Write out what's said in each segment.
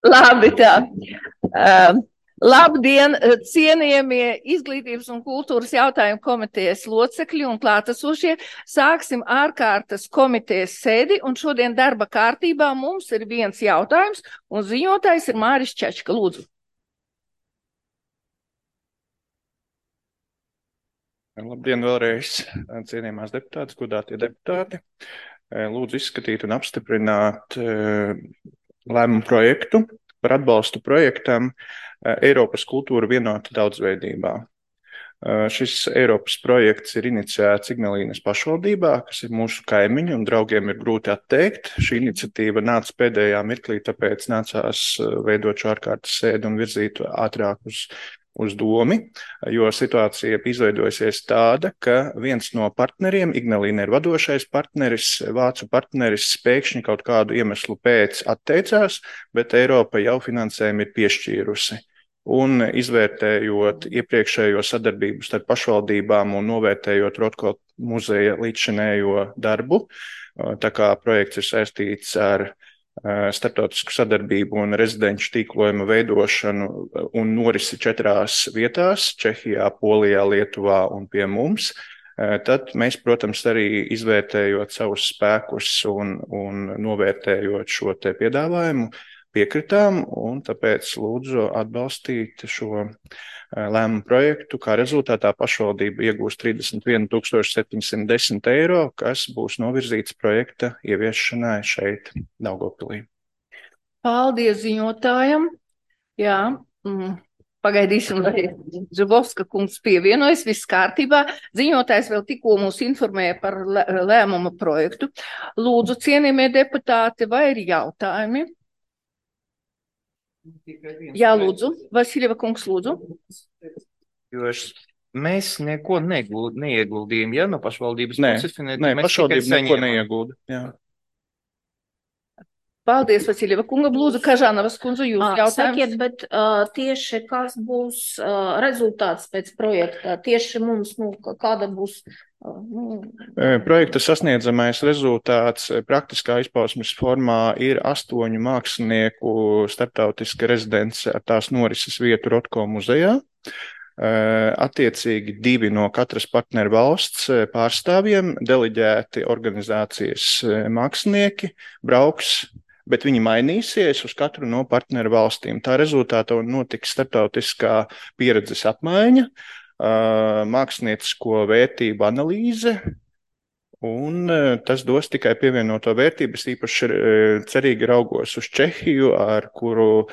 Labi, tā. Uh, Labdien, cienījamie izglītības un kultūras jautājumu komitejas locekļi un klātesošie. Sāksim ārkārtas komitejas sēdi, un šodien darba kārtībā mums ir viens jautājums, un ziņotājs ir Māris Čečka. Lūdzu. Labdien vēlreiz, cienījamās deputātes, godātie deputāti. Lūdzu izskatīt un apstiprināt lēmumu projektu par atbalstu projektam Eiropas kultūra vienota daudzveidībā. Šis Eiropas projekts ir iniciēts Ignalīnas pašvaldībā, kas ir mūsu kaimiņi un draugiem ir grūti atteikt. Šī iniciatīva nāca pēdējā mirklī, tāpēc nācās veidot šo ārkārtas sēdi un virzīt ātrāk uz domi, jo situācija izveidojusies tāda, ka viens no partneriem, Ignalīna ir vadošais partneris, vācu partneris, pēkšņi kaut kādu iemeslu pēc atteicās, bet Eiropa jau finansējumu ir piešķīrusi. Un izvērtējot iepriekšējo sadarbību starp pašvaldībām un novērtējot Rotko muzeja līdzšinējo darbu, tā kā projekts ir saistīts ar starptautisku sadarbību un rezidenču tīklojuma veidošanu un norisi 4 vietās – Čehijā, Polijā, Lietuvā un pie mums. Tad mēs, protams, arī izvērtējot savus spēkus un novērtējot šo te piedāvājumu, piekritām, un tāpēc lūdzu atbalstīt šo lēmumu projektu. Kā rezultātā pašvaldība iegūs 31 710 eiro, kas būs novirzīts projekta ieviešanai šeit, Daugavpilī. Paldies ziņotājam. Jā, pagaidīsim, lai Zubovska kungs pievienojas, viss kārtībā. Ziņotājs vēl tikko mūs informēja par lēmuma projektu. Lūdzu, cienījamie deputāti, vai ir jautājumi? Jā, lūdzu. Vasiljeva kungs, lūdzu. Jo mēs neko neieguldījām, ja no pašvaldības puses? Nē, pašvaldība neko neiegulda. Jā. Paldies, Vasiljeva kunga. Lūdzu, Kažānavas kundze, jūs jautājums. Sakiet, bet tieši kas būs rezultāts pēc projekta? Tieši mums, kāda būs... Projekta sasniedzamais rezultāts praktiskā izpausmes formā ir 8 mākslinieku starptautiska rezidence ar tās norises vietu Rotko muzejā. Attiecīgi 2 no katras partneru valsts pārstāvjiem, deleģēti organizācijas mākslinieki, brauks, bet viņi mainīsies uz katru no partneru valstīm. Tā rezultātā notiks starptautiskā pieredzes apmaiņa, māksliniecisko vērtību analīze, un tas dos tikai pievienoto vērtību. Es īpaši cerīgi raugos uz Čehiju, ar kuru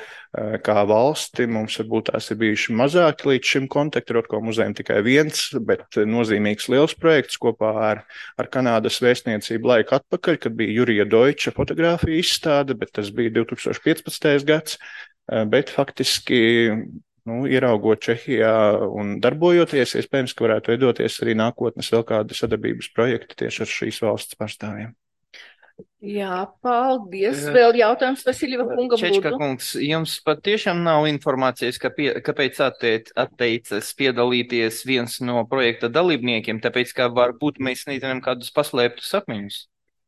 kā valsti mums varbūt tās ir bijuši mazāki līdz šim kontakti. Rotko muzejam tikai viens, bet nozīmīgs liels projekts kopā ar Kanādas vēstniecību laiku atpakaļ, kad bija Jurija Deutsche fotogrāfija izstāde, bet tas bija 2015. gads, bet faktiski ieraugot Čehijā un darbojoties, iespējams, ka varētu veidoties arī nākotnes vēl kādi sadarbības projekti tieši ar šīs valsts pārstāvjiem. Jā, paldies. Vēl jautājums Vasiljeva kunga. Čečka kungs, jums patiešām nav informācijas, kāpēc atteicas piedalīties viens no projekta dalībniekiem, tāpēc, ka varbūt mēs nezinām kādus paslēptus sapņus?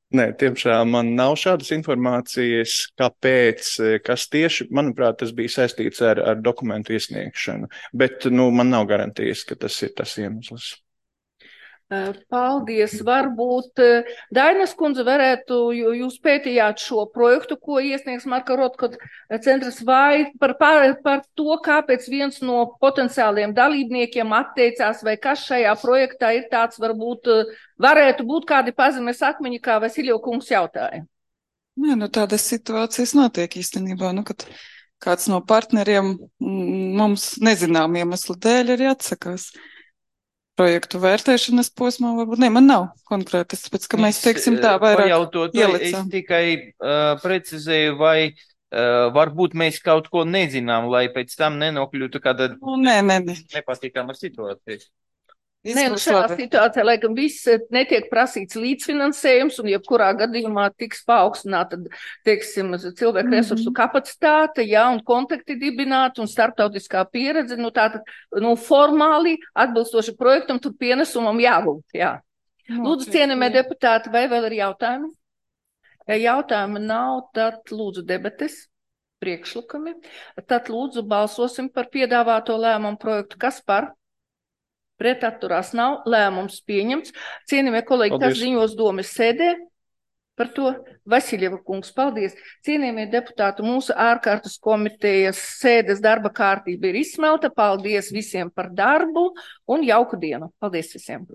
Nē, tiemžēl man nav šādas informācijas, kāpēc, kas tieši, manuprāt, tas bija saistīts ar dokumentu iesniegšanu, bet man nav garantijas, ka tas ir tas iemesls. Paldies. Varbūt Dainas kundze varētu, jūs pētījāt šo projektu, ko iesniegs Marka Rotko centrs, vai par to, kāpēc viens no potenciāliem dalībniekiem atteicās, vai kas šajā projektā ir tāds, varbūt varētu būt kādi pazemes akmeņi, kā Vasiljeva kungs jautāja. Nē, tādas situācijas notiek īstenībā, kad kāds no partneriem mums nezinām iemeslu dēļ arī atsakās. Projektu vērtēšanas posmā varbūt. Nē, man nav konkrētas, tāpēc, ka mēs, teiksim, tā vairāk ielicām. Es tikai precizēju, vai varbūt mēs kaut ko nezinām, lai pēc tam nenokļūtu kāda nepatīkama situācija. Nē, šajā situācijā, laikam, viss netiek prasīts līdzfinansējums, un jebkurā gadījumā tiks paaugstināta, teiksim, cilvēku resursu kapacitāte, un kontakti dibināti, un starptautiskā pieredze, tātad, formāli atbilstoši projektam, tur pienesumam jābūt, jā. Lūdzu, cienījamie deputāti, vai vēl ir jautājumi? Ja jautājumi nav, tad lūdzu debates. priekšlikumi. Tad lūdzu balsosim par piedāvāto lēmumu projektu. Kas par? Pret atturās nav. Lēmums pieņemts. Cienījamie kolēģi, Paldies. kas ziņos domas sēdē par to? Vasiljeva kungs, paldies. Cienījamie deputāti, mūsu ārkārtas komitejas sēdes darba kārtība ir izsmelta. Paldies visiem par darbu un jauku dienu. Paldies visiem.